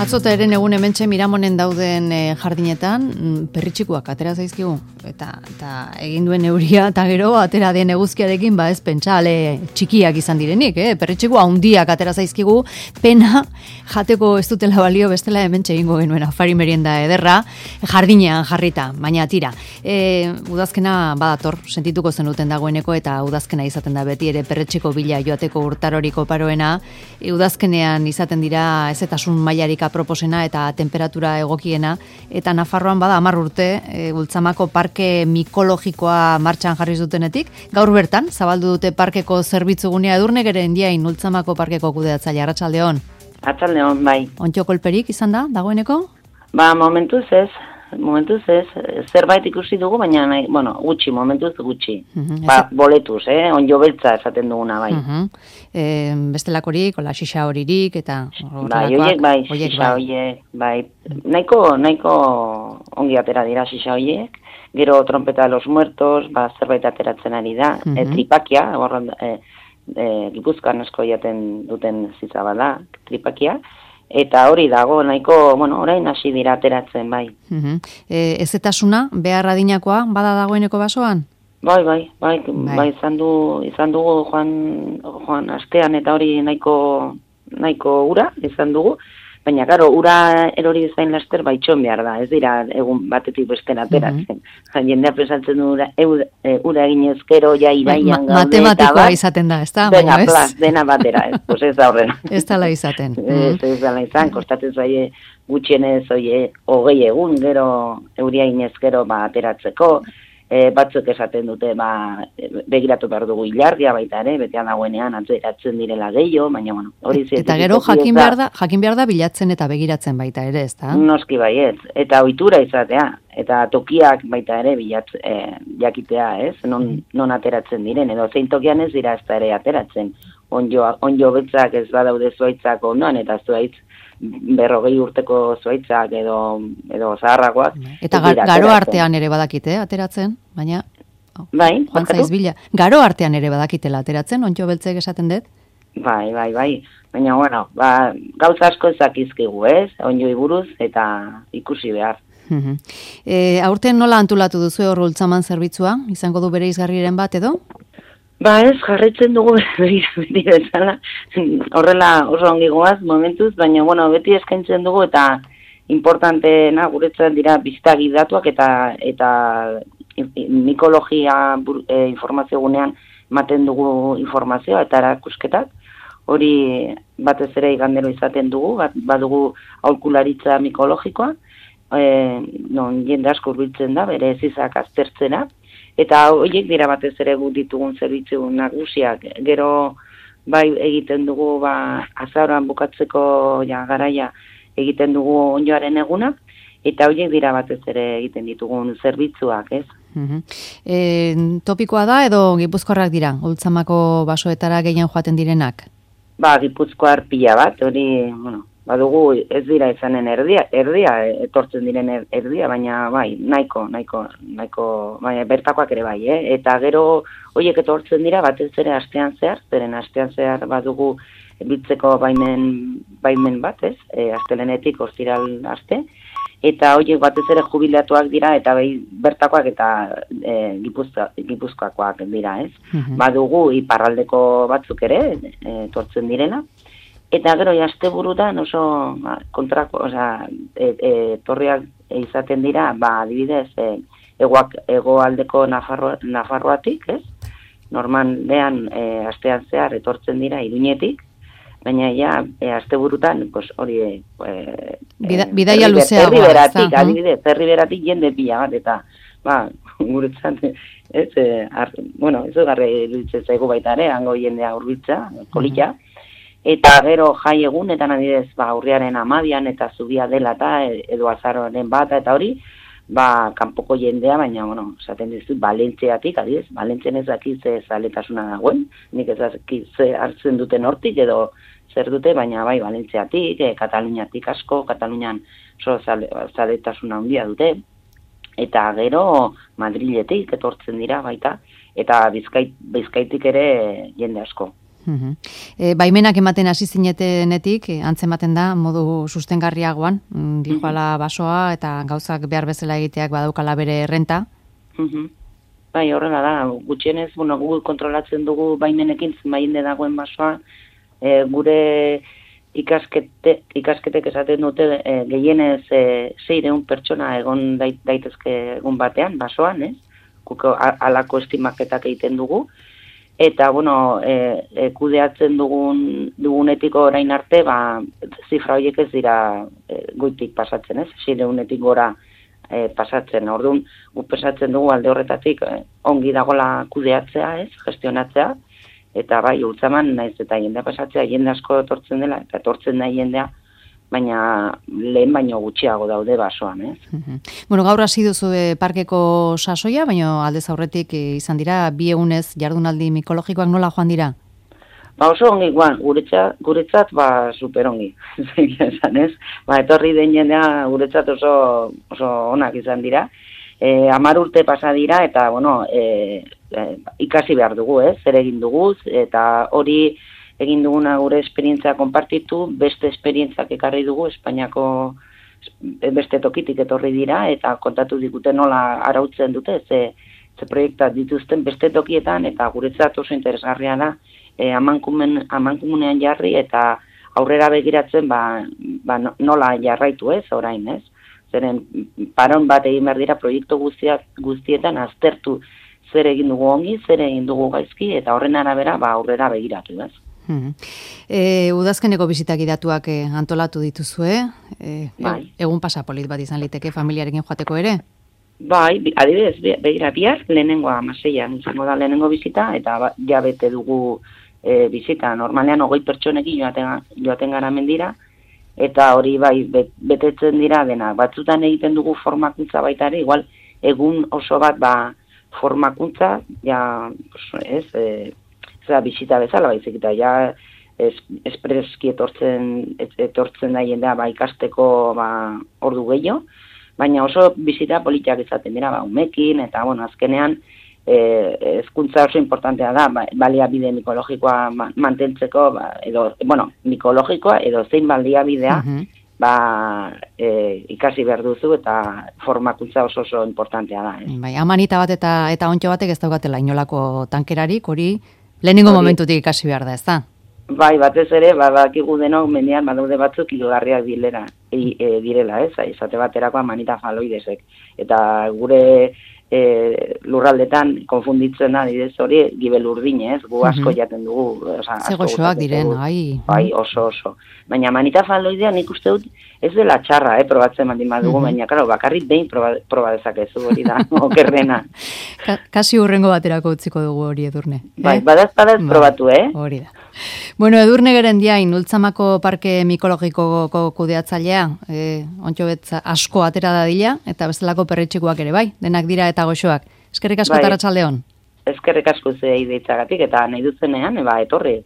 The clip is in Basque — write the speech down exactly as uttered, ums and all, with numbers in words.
Atzota eren egun hementxe Miramonen dauden e, jardinetan perritxikuak atera zaizkigu eta, eta egin duen euria eta gero atera den eguzkiarekin ba ez pentsa ale txikiak izan direnik, eh? Perritxiku handiak atera zaizkigu, pena jateko ez dutela balio bestela hementxe egingo genuen afari merienda ederra jardinean jarrita, baina tira. E, udazkena badator, sentituko zenuten dagoeneko eta udazkena izaten da beti ere perretxiko bila joateko urtaroriko paroena, e, udazkenean izaten dira ezetasun mailarik proposena eta temperatura egokiena, eta Nafarroan bada hamar urte e, Ultzamako parke mikologikoa martxan jarri zutenetik, gaur bertan zabaldu dute parkeko zerbitzugunea Edurne Geren Diain Ultzamako parkeko kudeatzaile. Arratsaldeon. Arratsaldeon, bai. Ontxo kolperik izan da dagoeneko? Ba, momentuz ez. Momentuz ez, zerbait ikusi dugu, baina nahi, bueno, gutxi, momentuz gutxi. Uh-huh, ba, boletuz, eh? Onjo beltza esaten duguna, bai. Uh-huh. E, bestelakorik, ola xixa horirik, eta... Bai, oiek, bai, xixa horiek, bai. Nahiko, nahiko ongi atera dira xixa horiek, gero trompeta de los muertos, ba, zerbait ateratzen ari da, uh-huh. e, tripakia, borron, e, e, Gipuzkoan asko jaten duten zizabala, tripakia, eta hori dago, nahiko, bueno, orain hasi dira ateratzen, bai. Uh-huh. E, ezetasuna, behar adinakoa, bada dagoeneko basoan? Bai, bai, bai, bai, bai izan, du, izan dugu joan, joan astean eta hori nahiko, nahiko ura izan dugu, baina, karo, ura erori zain laster baitxon behar da, ez dira egun batetik bestera ateratzen. Uh-huh. Jendea pesatzen du ura, e, ura egin ezkero, ja iraian Ma, gaude. Matematikoa izaten da, ez da? Dena, plaz, dena batera, ez, pues ez da horrena. Ez dala izaten. Ez, ez dala izan, kostatzen zaie gutxienez, oie, hogei egun, gero euria inezkero ba, ateratzeko, e, batzuk esaten dute, ba, begiratu behar dugu ilargia baita ere, betean dagoenean ateratzen direla gehiago, baina, bueno, hori zientifikoki. Eta gero jakin behar da, jakin behar da bilatzen eta begiratzen baita ere, ez da? Noski baiet, eta ohitura izatea, eta tokiak baita ere bilatz, e, jakitea, ez, non, non ateratzen diren, edo zein tokian ez dira ez da ere ateratzen. Onjo, onjo betzak ez badaude zuaitzak ondoan, eta zuaitz berrogei urteko zuaitzak edo, edo zaharragoak. Eta gar, garo artean ere badakite, ateratzen, baina... Oh, bai, Juan Zaiz Bila. Garo artean ere badakitela ateratzen, ontxo beltzek esaten dut? Bai, bai, bai. Baina, bueno, ba, gauza asko ezakizkigu, ez? Onjoi buruz eta ikusi behar. Uh-huh. E, aurten nola antolatu duzu hor Ultzaman zerbitzua? Izango du bere izgarriren bat edo? Ba ez, jarraitzen dugu beti bezala, horrela oso ongi goaz momentuz, baina bueno, beti eskaintzen dugu eta importanteena guretzat dira biztagi datuak eta eta mikologia e, informazio gunean ematen dugu informazioa eta erakusketak. Hori batez ere igandero izaten dugu, bat, badugu aholkularitza mikologikoa, e, non jende asko hurbiltzen da, bere ezizak aztertzena. Eta horiek dira batez ere gut ditugun zerbitzu nagusiak. Gero bai egiten dugu ba, azaroan bukatzeko ja, garaia egiten dugu onjoaren eguna, eta horiek dira batez ere egiten ditugun zerbitzuak, ez? Uh-huh. E, topikoa da edo Gipuzkoarrak dira, Ultzamako basoetara gehien joaten direnak? Ba, Gipuzkoar pila bat, hori, bueno, badugu ez dira izanen erdia, erdia etortzen diren erdia, baina bai, nahiko, nahiko, nahiko, baina bertakoak ere bai, eh? Eta gero horiek etortzen dira batez ere astean zehar, zeren astean zehar badugu biltzeko baimen, baimen bat, ez? E, astelenetik ostiral aste, eta horiek batez ere jubilatuak dira, eta bai, bertakoak eta e, Gipuzkoa, Gipuzkoakoak dira, ez? Uh-huh. Badugu iparraldeko batzuk ere etortzen direna, eta gero asteburutan oso ba, kontrako, osea, e, e, torriak izaten dira, ba, adibidez, e, egoak, egoaldeko Nafarro, Nafarroatik, ez? Normalean e, astean zehar etortzen dira Iruñetik, baina ja, e, asteburutan, pues, hori... E, Bida, bidaia luzeagoa. Herriberatik, adibidez, herriberatik jende pila bat, eta, ba, guretzat, ez, e, ar, bueno, ez garre iruditzen zaigu baita ere, hango jendea hurbiltza, kolila, uh-huh. Eta gero jai egunetan adibidez, ba, urriaren hamabian eta zubia dela eta edo azaroaren bata eta hori, ba, kanpoko jendea, baina, bueno, esaten dizut, Valentziatik, adibidez, Valentzien ez dakit ze zaletasuna dagoen, nik ez dakit ze hartzen duten hortik edo zer dute, baina bai, Valentziatik, e, Kataluniatik asko, Katalunian oso zale, zaletasuna handia dute, eta gero Madriletik etortzen dira baita, eta Bizkait, Bizkaitik ere jende asko. Mhm. E, baimenak ematen hasi zinetenetik, e, antzematen da, modu sustengarriagoan, mm, dijoala basoa eta gauzak behar bezala egiteak badaukala bere errenta. Mhm. Bai, horrela da, gutxienez, bueno, gu kontrolatzen dugu baimenekin zenbainde dagoen basoa, e, gure ikaskete, ikasketek esaten dute e, gehienez e, seiehun pertsona egon dait, daitezke egun batean, basoan, ez? Guko alako estimaketak egiten dugu, eta, bueno, e, e, kudeatzen dugun, dugunetiko orain arte, ba, zifra horiek ez dira e, goitik pasatzen, ez? Seirehunetik gora e, pasatzen. Orduan, gu pesatzen dugu alde horretatik e, ongi dagola kudeatzea, ez? Gestionatzea, eta bai, ultzaman naiz eta jendea pasatzea, jende asko etortzen dela, eta etortzen da jendea, baina lehen baino gutxiago daude basoan, ez? Bueno, gaur hasi duzu e, parkeko sasoia, baina aldez aurretik e, izan dira, bi egunez jardunaldi mikologikoak nola joan dira? Ba oso ongi, guan, guretzat, guretzat ba super ongi, esan ez? Ba, etorri den jendea guretzat oso, oso onak izan dira. E, amar urte pasa dira, eta, bueno, e, e, ikasi behar dugu, ez? Zer egin dugu, eta hori egin duguna gure esperientzia konpartitu, beste esperientzak ekarri dugu, Espainiako beste tokitik etorri dira, eta kontatu digute nola arautzen dute, ze, ze proiektat dituzten beste tokietan, eta guretzat oso interesgarria da, e, amankumen, amankumenean jarri, eta aurrera begiratzen ba, ba nola jarraitu ez, orain ez. Zeren paron bat egin behar dira proiektu guztiak, guztietan aztertu zer egin dugu ongi, zer egin dugu gaizki, eta horren arabera ba aurrera begiratu ez. Hmm. E, udazkeneko bizitak idatuak e, antolatu dituzue, e, bai. Egun pasapolit bat izan liteke familiarekin joateko ere? Bai, adibidez, begira bihar, lehenengoa amaseian izango da lehenengo bizita, eta ba, ja bete dugu e, bizita. Normalean hogei pertsonekin joaten, joaten gara mendira, eta hori bai betetzen dira dena. Batzutan egiten dugu formakuntza baita ere, igual egun oso bat ba formakuntza, ja, ez, e, ez da bizita bezala baizik, eta ja es, espreski etortzen, etortzen da jendea ba, ikasteko ba, ordu gehiago, baina oso bizita politiak izaten dira, ba, umekin, eta bueno, azkenean eh, ezkuntza oso importantea da, ba, baliabide mikologikoa mantentzeko, ba, edo, bueno, mikologikoa edo zein baliabidea, uh-huh. ba, e, ikasi behar duzu, eta formakuntza oso oso importantea da. Eh? Bai, amanita bat eta eta ontxo batek ez daukatela inolako tankerarik, hori lehenengo hori, momentutik ikasi behar da, ez da? Bai, batez ere, badakigu denok mendian badaude batzuk hilgarriak dilera, e, e, direla, ez? Izate baterako amanita faloidesek. Eta gure e, lurraldetan konfunditzen da, didez hori, gibel urdine, ez? Gu asko jaten dugu. Zegoxoak diren, ai. Bai, oso oso. Baina amanita faloidea nik uste dut ez dela txarra, eh, probatzen baldin badugu, uh-huh. baina, karo, bakarrik behin proba, proba dezakezu hori da, okerrena. Ka, kasi hurrengo baterako utziko dugu hori, Edurne. Bai, eh? badaz, badaz ba, probatu, eh? Hori da. Bueno, Edurne Gerendiain, Ultzamako Parke Mikologikoko kudeatzailea, eh, ontxo betza asko atera dadila, eta bestelako perretxikoak ere, bai, denak dira eta goxoak. Eskerrik asko bai. Arratsaldeon. Eskerrik asko zei deitzagatik, eta nahi duzenean, eba, etorri.